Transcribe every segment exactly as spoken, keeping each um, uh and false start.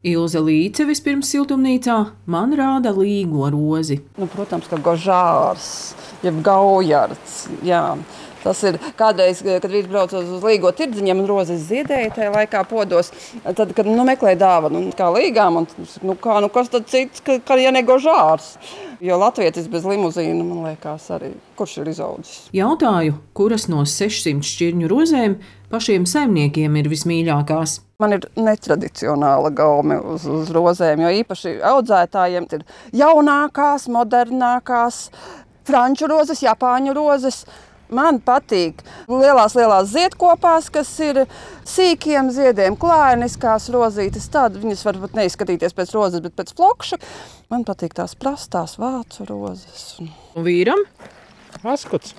Ilze Līce vispirms siltumnīcā man rāda līgo rozi. Nu, protams, ka gožārs, jeb gaujards, jā. Tas ir kādreiz, kad vīrs brauc uz līgo tirdziņiem un rozes ziedēja tajā laikā podos, tad, kad nu, meklēja dāvanu, nu, kā līgām, un nu, kā, nu, kas tad cits, ka, ka ja ne gožārs. Jo latvietis bez limuzīna, man liekas, arī kurš ir izaudzis. Jautāju, kuras no sešsimt šķirņu rozēm pašiem saimniekiem ir vismīļākās. Man ir netradicionāla gaume uz, uz rozēm, jo īpaši audzētājiem ir jaunākās, modernākās, franču rozes, japāņu rozes. Man patīk lielās, lielās ziedkopās, kas ir sīkiem ziediem, klājeniskās rozītes. Tāda viņas varbūt neizskatīties pēc rozes, bet pēc flokša. Man patīk tās prastās vācu rozes. Un vīram? Askots.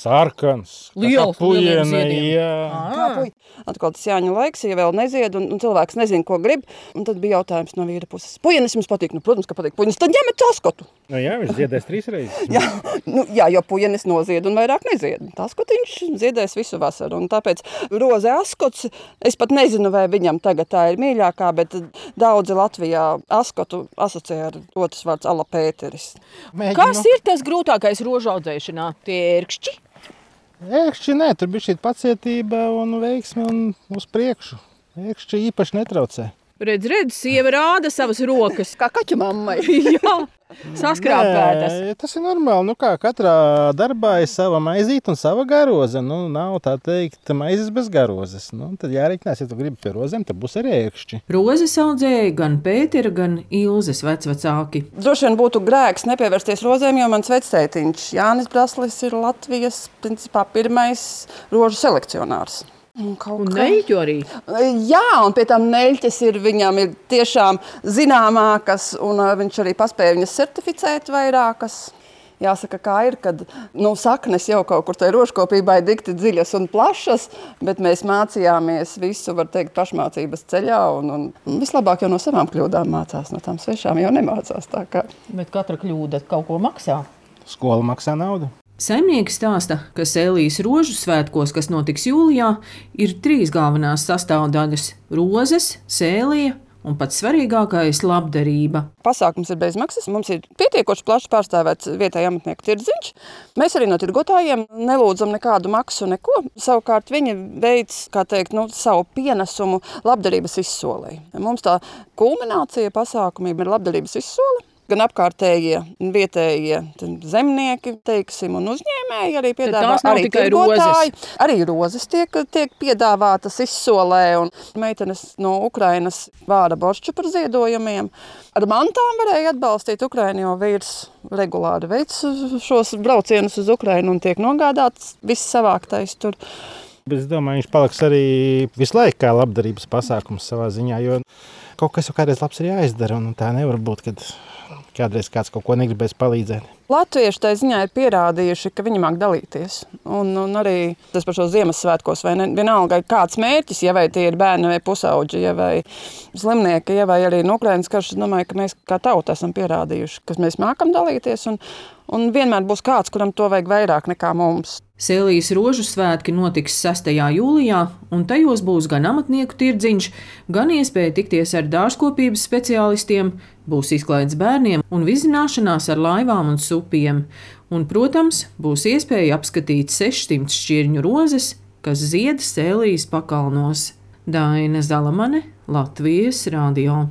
Sarkans, liels, puiene, jā. Kā puiene. Atkal tas Jāņa laiks, ja vēl nezied, un, un cilvēks nezina, ko grib. Un tad bija jautājums no vīra puses. Puienes jums patīk? Nu, protams, ka patīk puienes. Tad ņemiet askotu. Nu jā, viņš ziedēs trīs reizes. jā, nu, jā, jo puienes nozied un vairāk nezied. Askotiņš ziedēs visu vasaru. Un tāpēc roze askots, es pat nezinu, vai viņam tagad tā ir mīļākā, bet daudzi Latvijā askotu asociē ar otrs vārds ala Pēteris. Mēģinu. Kas ir tas grūtākais rožu audzēšanā? Tie ērkšķi? Ērkšķi nē, tur bija šī pacietība un veiksme un uz priekšu. Ērkšķi īpaši netraucē. Redz, redz, sieva rāda savas rokas. Kā kaķu mammai. Jā, saskrāpētas. Nē, tas ir normāli. Nu kā, katrā darbā ir sava maizīte un sava garoze. Nu, nav tā teikt maizes bez garozes. Nu, tad jārēķinās, ja tu gribi pie rozēm, tad būs arī ērkšķi. Rozes audzēja gan Pētera, gan Ilzes vecvecāki. Droši vien būtu grēks nepievērsties rozēm, jo mans vectētiņš Jānis Braslis ir Latvijas principā pirmais rožu selekcionārs. Un, un neļķu arī? Jā, un pie tam neļķes ir viņam ir tiešām zināmākas, un viņš arī paspēja viņas certificēt vairākas. Jāsaka, kā ir, kad nu, saknes jau kaut kur tai rožkopībai dikti dziļas un plašas, bet mēs mācījāmies visu, var teikt, pašmācības ceļā, un, un vislabāk jau no savām kļūdām mācās, no tām svešām jau nemācās tā kā. Bet katra kļūda kaut ko maksā? Skola maksā naudu. Saimnieki stāsta, ka Sēlijas rožu svētkos, kas notiks jūlijā, ir trīs galvenās sastāvdaļas – rozes, sēlija un pats svarīgākais – labdarība. Pasākums ir bezmaksas, mums ir pietiekoši plaši pārstāvēts vietēja amatnieku tirdziņš. Mēs arī no tirgotājiem nelūdzam nekādu maksu, neko. Savukārt viņi veic, kā teikt, nu, savu pienesumu labdarības izsolei. Mums tā kulminācija pasākumiem ir labdarības izsole. Gan apkārtējie, vietējie zemnieki, teiksim, un uzņēmēji arī piedāvā, arī tirgotāji. Arī rozes tiek, tiek piedāvātas izsolē, un meitenes no Ukrainas vāra boršču par ziedojumiem. Ar mantām varēja atbalstīt Ukrainu, jo vīrs regulāri veic šos braucienus uz Ukrainu un tiek nogādāts viss savāktais tur. Bet es domāju, viņš paliks arī visu laiku kā labdarības pasākums savā ziņā, jo kaut kas jau kādreiz labs ir jāizdara, un tā nevar būt, kad kādreiz kāds kaut ko negribēs palīdzēt. Latvieši tai ziņā ir pierādījuši, ka viņi māk dalīties. Un, un arī tas par šo Ziemassvētkos, vai ne, vienalga ir kāds mērķis, ja vai tie ir bērni vai pusauģi, ja vai slimnieki, ja vai arī no Ukrainas karš, es domāju, ka mēs kā tauta esam pierādījuši, ka mēs mākam dalīties, un, un vienmēr būs kāds, kuram to vajag vairāk nekā mums. Sēlijas rožu svētki notiks sestajā jūlijā, un tajos būs gan amatnieku tirdziņš, gan iespēja tikties ar dārzkopības speciālistiem, būs izklaides bērniem un vizināšanās ar laivām un supiem. Un, protams, būs iespēja apskatīt sešsimt šķirņu rozes, kas zied Sēlijas pakalnos. Daina Zalamane, Latvijas radio.